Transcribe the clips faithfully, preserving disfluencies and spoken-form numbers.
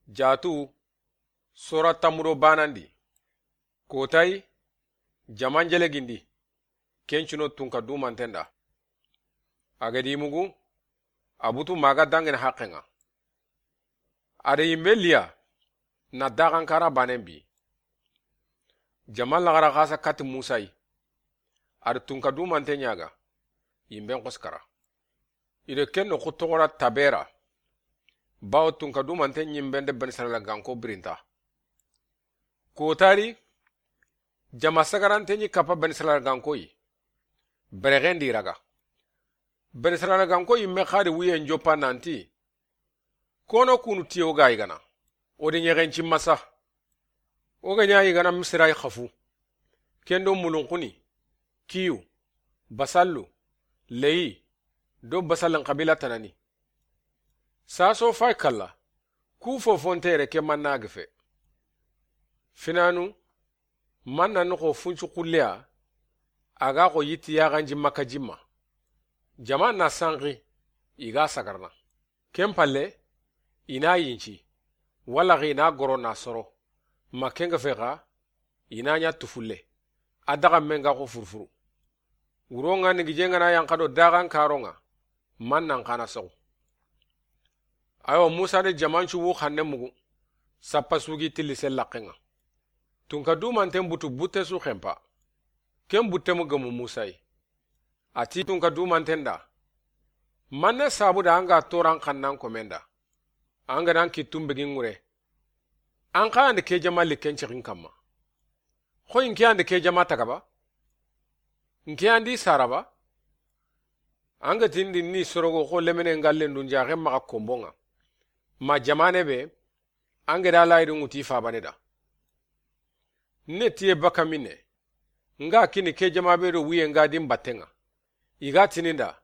Jaatu, sora tammu do baanandi. Kotayi, jaman jelegindi, ken cino tunka dumanten da. A ga di mugu, a butu maga dangini haqqen ŋa. A da yinbe liya, na daxankara baanen bi. Jaman laxara xasa kati Musa yi. A da tunka dumanten ɲaga, yinben xosi kara. I da ken noxu toxora Tabera. Bawo tunka dumanten ɲinben de Bani Israila ganko birinta. Kotari, jama sagarante ɲi kappa Bani Israila ganko yi. Berexen di raga. Bani Israila ganko yinme xadi wuyen joppa nanti, kono kunu tiye o ga yigana, o de ɲexen ci masa. O ga ɲa yigana Misira yi xafu. Ken do mulunxuni, kiyu, basallu, leyi, do basallin xabila tanani. Saso fay kalla, ku fofontere ke manna gefe. Finanu, manna noxo funcu xulleya, a ga xo yitti yaxanji Makka jimma. Jama na sanxi, i ga sagarna. Ken palle, i na yinci, wala xi i na goro na soro, ma ken ga fe xa, i na ɲa tufulle, a daxa men ga xo furufuru. Wuro ŋa ni gije ŋa na yanxa do daxan karo ŋa, man nan xana soxu. Ayo, Musa de jamancu wu xanne mugu, sappa sugi tilli se laqqen ŋa. Tunka dumanten butu butte su xempa. Ken butte mu gemu Musa yi. A ti tunka dumanten da, manne sabu da an ga toran xannan komen da, an ga nan kittu n begi ŋure, an xa andi ke jama likken cixin kamma. Xo in ke andi ke jama taga ba? In ke andi sara ba? An ga tindi ni sorogo xo lemene ngallen dun jaxe maxa kombon ŋa. Ma jamane be, an ga da layidu ŋuti fabane da. Ne tiye baka minne, nga kini ke jama be do wuye nga din batten ŋa. I ga tininda,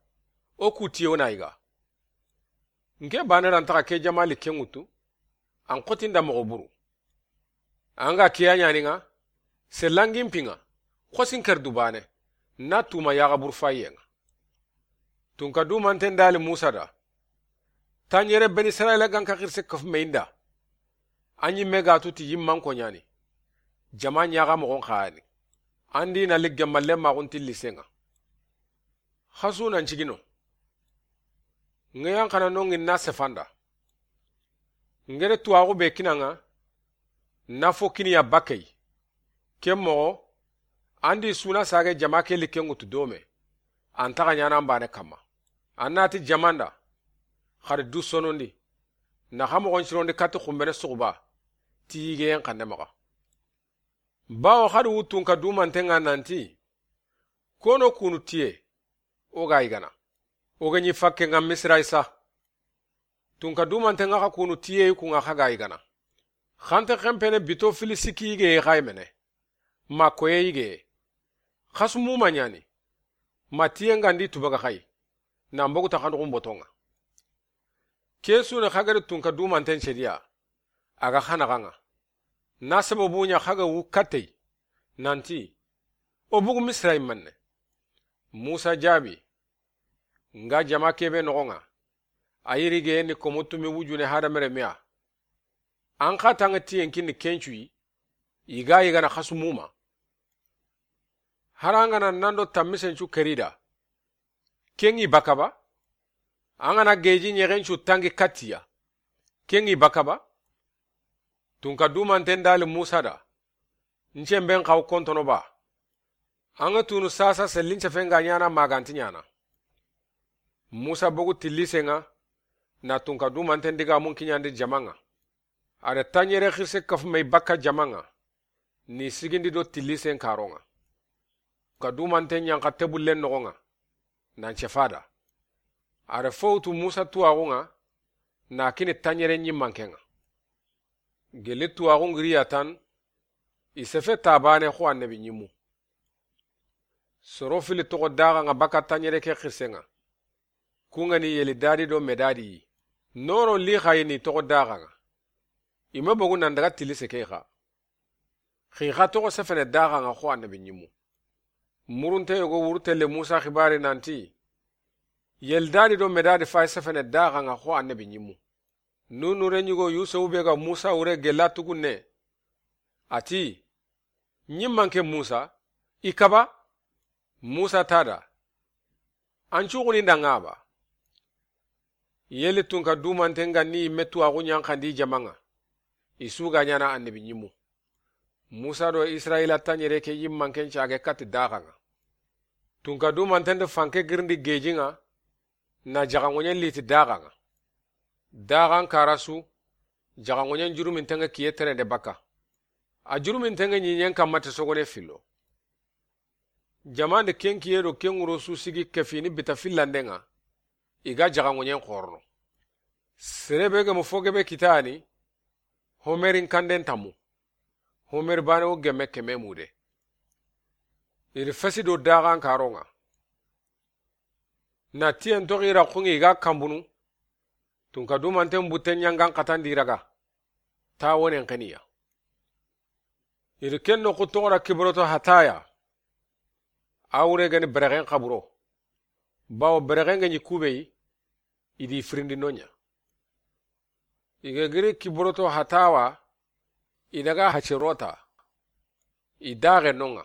o ku tiye o na yiga. Nke bane ran taxa ke jama likke ŋutu, an xotinda moxo buru. An ga kiya ɲani ŋa, sellangin pi ŋa, xosin ker du bane, na tuma yaxa buru fayiye ŋa. Tunka dumanten dali Musa da, tanɲere Beni Israila ganka xirse kafu me inda. An ɲimme ga tuti yimman ko ɲani. Jama ɲaxa moxon xayani. An di na ligge malle maxun tilli se ŋa. Xasu nan cigino. Ŋeyan xana nongi na sefanda. Ngere tuwaxu be kina ŋa, na fo kiniya bakkey. Ken moxo, an di suna sage jama ke likke ŋutu dome. An taxa ɲana an bane kamma. An nati jamanda, xari du sonondi. Na xa moxon cirondi kati xumbene suxuba, ti yigeyen xande maxa. Bawo xadi wu tunka dumanten ŋa nanti, kono kunu tiye, o ga yigana. O ga ɲi fakke ŋa Misira yi sa. Tunka dumanten ŋa xa kunu tiye yi ku ŋa xa ga yigana. Xante xempene bito fili sikki yigeye xa yi mene. Ma koye yigeye. Xasu muma ɲani. Ma tiye nga ndi tubaga xa yi. Na mbogu ta xanduxun boton ŋa. Ke sune xa gari tunka dumanten cediya. A ga xana xa ŋa. Na sababu ɲa xa ga wu kattey. Nanti, o bugu Misira yi manne. Musa jaabi, nga jama kebe noxo ŋa, a yirige ni komo tumi wujune hadamere meya. An xa tanga tiyen kinni kencu yi, i ga yigana xasu muma. Harangana nando tammisencu kerida. Ken ŋi baka ba? An gana geji ɲexencu tangi kattiya. Ken ŋi baka ba? Tunka dumanten dali Musa da. Ncemben xaw kontono ba? An ga tunu sasa sellincefen ga ɲana maganti ɲana. Musa bogu tillisen ŋa, na tunka dumanten diga mun kiɲandi jaman ŋa. A da tanɲere xirse kafu me bakka jaman ŋa, ni sigindi do tillisen karon ŋa. Ka dumanten ɲanxa tebullen noxon ŋa, nan cefada. A da fowtu Musa tuwaxun ŋa, na kini tanɲere ɲimmanken ŋa. Geli tuwaxun giriya tan, i sefe tabane xo annabi ɲimmu. Soro fili toxo daxa ŋa bakka tanɲere ke xirsen ŋa. Ku ŋa ni Yeli dadi do Medadi yi. Noro li xa yi ni toxo daxa ŋa. I ma bogu nan daga tilise ke xa. Xi xa toxo sefene daxa ŋa xo annabi ɲimmu. Murunte yogo wurutelle Musa xibari nanti, Yeli dadi do Medadi fay sefene daxa ŋa xo annabi ɲimmu. Nunu re ɲigo Yusufu be ga Musa wure gella tugunne. A ti, ɲimmanke Musa, i kaba? Musa tada, an cuxuni danga ba? Yeli tunka dumanten ga ni yimme tuwaxu ɲanxandi jamaŋa, i su ga ɲana annabi ɲimu. Musa do Israila taɲere ke yimmanken cage kati daxaŋa. Tunka dumanten de fanke girindi gejiŋa, na jaxanŋoɲen liti daxaŋa. Daxan karasu, jaxanŋoɲen juruminteŋe kiye terende baka. A juruminteŋe ɲiɲen kamma te sogone fillo. Jamande ken kiye do ken ŋuro su sigi kefini bita fillandeŋa, i ga jaxanŋoɲen xorono. Serebe gemu fo gebe kitani, homerin kanden tamu. Homeri bane wo gemme keme mude. Iri fesi do daxan karoŋa. Na tiyen toxi raxuŋi i ga kambunu. Tunka dumanten butten ɲangan xatandi raga. Ta wonen xeniya. Iri ken noxu toxora kiboroto hataya. A wure gani berexen xaburo. Bawo berexen ga ɲi kubeyi, i di firindi noɲa. I ga giri kiboroto hatawa, i daga hacerota. I daxe noŋa.